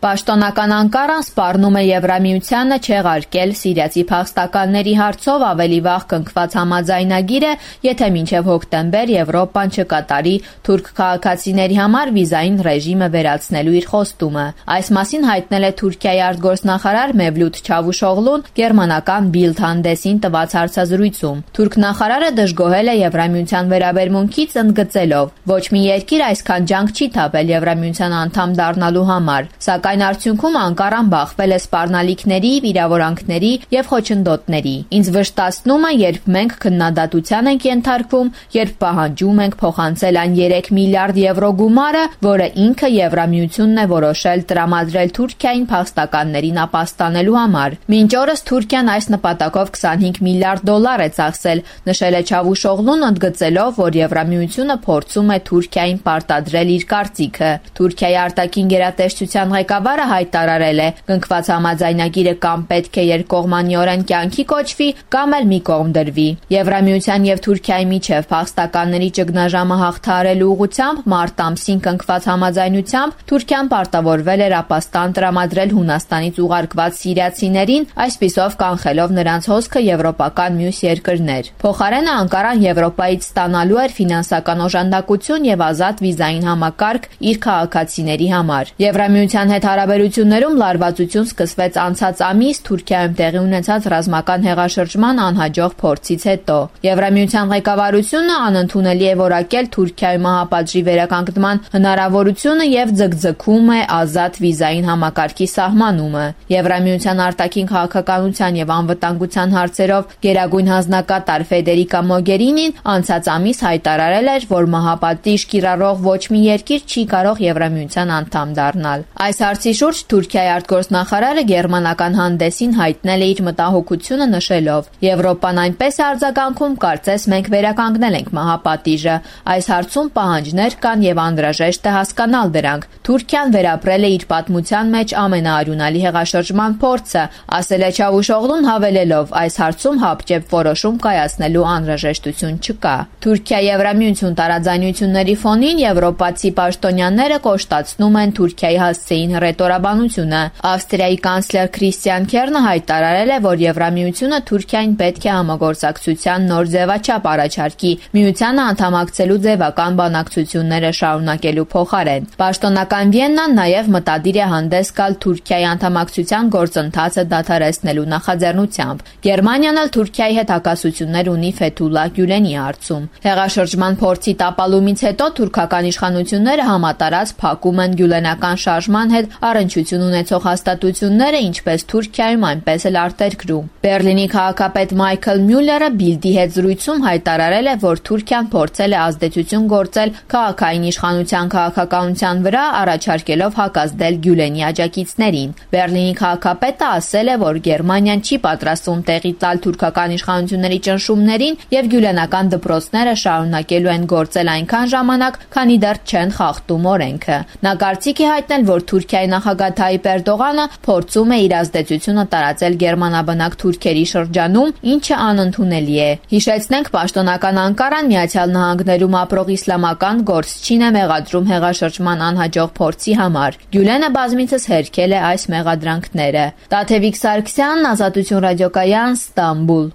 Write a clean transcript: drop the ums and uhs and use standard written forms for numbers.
Պաշտոնական Անկարան սպառնում է Եվրամիությանը չեղարկել սիրիացի փախստականների հարցով ավելի վաղ կնքված համաձայնագիրը, եթե մինչև հոկտեմբեր Եվրոպան չկատարի թուրք քաղաքացիների համար վիզային ռեժիմը վերացնելու իր խոստումը։ Այս մասին հայտնել է Թուրքիայի արտգործնախարար Մևլութ Չավուշօղլուն գերմանական Bild հանդեսին տված հարցազրույցում։ Թուրք նախարարը դժգոհել է Եվրամիության վերաբերմունքից, ընդգծելով. «Ոչ մի երկիր այսքան ջանք չի թափել Եվրամիության անդամ դառնալու համար, սակայն արդյունքում Անկարան բախվել է սպառնալիքների, վիրավորանքների եւ խոչընդոտների։ Ինձ վշտացնում է, երբ մենք քննադատության ենք ենթարկվում, երբ պահանջում ենք փոխանցել այն 3 միլիարդ եվրո գումարը, որը ինքը Եվրամիությունն է որոշել տրամադրել Թուրքիային փախստականներին ապաստանելու համար։ Մինչ օրս Թուրքիան այս նպատակով 25 միլիարդ դոլար է ծախսել», նշել է Չավուշօղլուն, ընդգծելով, որ Եվրամիությունը փորձում է Թուրքիային պարտադրել իր կարծիքը։ Թուրքիայի արտաքին գերատեսչության ղեկավարը հայտարարել է. «Կնքված համաձայնագիրը կամ պետք է երկկողմանիորեն կյանքի կոչվի, կամ էլ մի կողմ դրվի»։ Եվրամիության եւ Թուրքիայի միջև փախստականների ճգնաժամը հաղթահարելու ուղղությամբ մարտ ամսին կնքված համաձայնությամբ Թուրքիան պարտավորվել էր ապաստան տրամադրել Հունաստանից ուղարկված սիրիացիներին, այսպիսով կանխելով նրանց հոսքը եվրոպական մյուս երկրներ։ Փոխարենը Անկարան Եվրոպայից ստանալու էր ֆինանսական օժանդակություն եւ ազատ վիզային համակարգ իր քաղաքացիների համար։ Եվրամիության հետ հարաբերություններում լարվածություն սկսվեց անցած ամիս Թուրքիայում տեղի ունեցած ռազմական հեղաշրջման անհաջող փորձից հետո։ Եվրամիության ղեկավարությունը անընդունելի է որակել Թուրքիայում մահապատժի վերականգնման հնարավորությունը եւ ձգձգում է ազատ վիզային համակարգի սահմանումը։ Եվրամիության արտաքին քաղաքականության եւ անվտանգության հարցերով գերագույն հանձնակատար Ֆեդերիկա Մոգերինին անցած ամիս հայտարարել էր, որ մահապատիժ կիրառող ոչ մի երկիր չի կարող Եվրամիության անդամ դառնալ։ Այս հարցի շուրջ Թուրքիայի արտգործնախարարը գերմանական հանդեսին հայտնել է իր մտահոգությունը, նշելով. «Եվրոպան այնպես է արձագանքում, կարծես մենք վերականգնել ենք մահապատիժը։ Այս հարցում պահանջներ կան եւ անհրաժեշտ է հասկանալ դրանք։ Թուրքիան վերապրել է իր պատմության մեջ ամենաարյունալի հեղաշրջման փորձը», ասել է Չավուշօղլուն, հավելելով. «Այս հարցում հապճեպ որոշում կայացնելու անհրաժեշտություն չկա»։ Թուրքիա-Եվրամիություն տարաձայնությունների ֆոնին եվրոպացի պաշտոնյաները կոշտացնում են Թուրքիայի հասցեին հռետորաբանությունը։ Ավստրիայի կանցլեր Քրիստիան Քեռնը հայտարարել է, որ Եվրամիությունը Թուրքիային պետք է համագործակցության նոր ձևաչափ առաջարկի միությանը անդամակցելու ձևական բանակցությունները շարունակելու փոխարեն։ Պաշտոնական Վիեննան նաև մտադիր է հանդես գալ Թուրքիայի անդամակցության գործընթացը դադարեցնելու նախաձեռնությամբ։ Գերմանիան էլ Թուրքիայի հետ հակասություններ ունի Ֆեթուլլահ Գյուլենի հարցում։ Հեղաշրջման փորձի տապալումից հետո թուրքական իշխանությունները համատարած փակում են գյուլենական շարժման հետ առնչություն ունեցող հաստատությունները ինչպես Թուրքիայում, այնպես էլ արտերկրում։ Բեռլինի քաղաքապետ Մայքլ Մյուլլերը Բիլդի հետ զրույցում հայտարարել է, որ Թուրքիան փորձել է ազդեցություն գործել քաղաքային իշխանության քաղաքականության վրա, առաջարկելով հակազդել Գյուլենի աջակիցներին։ Բեռլինի քաղաքապետը ասել է, որ Գերմանիան չի պատրաստվում տեղի տալ թուրքական իշխանությունների ճնշումներին եւ գյուլենական դպրոցները շարունակելու են գործել այնքան ժամանակ, քանի դեռ չեն խախտում օրենքը։ Նա կարծիք է հայտնել, որ Թուրքիայի նախագահ Թայիպ Էրդողանը փորձում է իր ազդեցությունը տարածել գերմանաբնակ թուրքերի շրջանում, ինչը անընդունելի է։ Հիշեցնենք, պաշտոնական Անկարան Միացյալ Նահանգներում ապրող իսլամական գործչին է մեղադրում հեղաշրջման անհաջող փորձի համար։ Գյուլենը բազմիցս հերքել է այս մեղադրանքները։ Տաթևիկ Սարգսյան, Ազատություն ռադիոկայան, Ստամբուլ։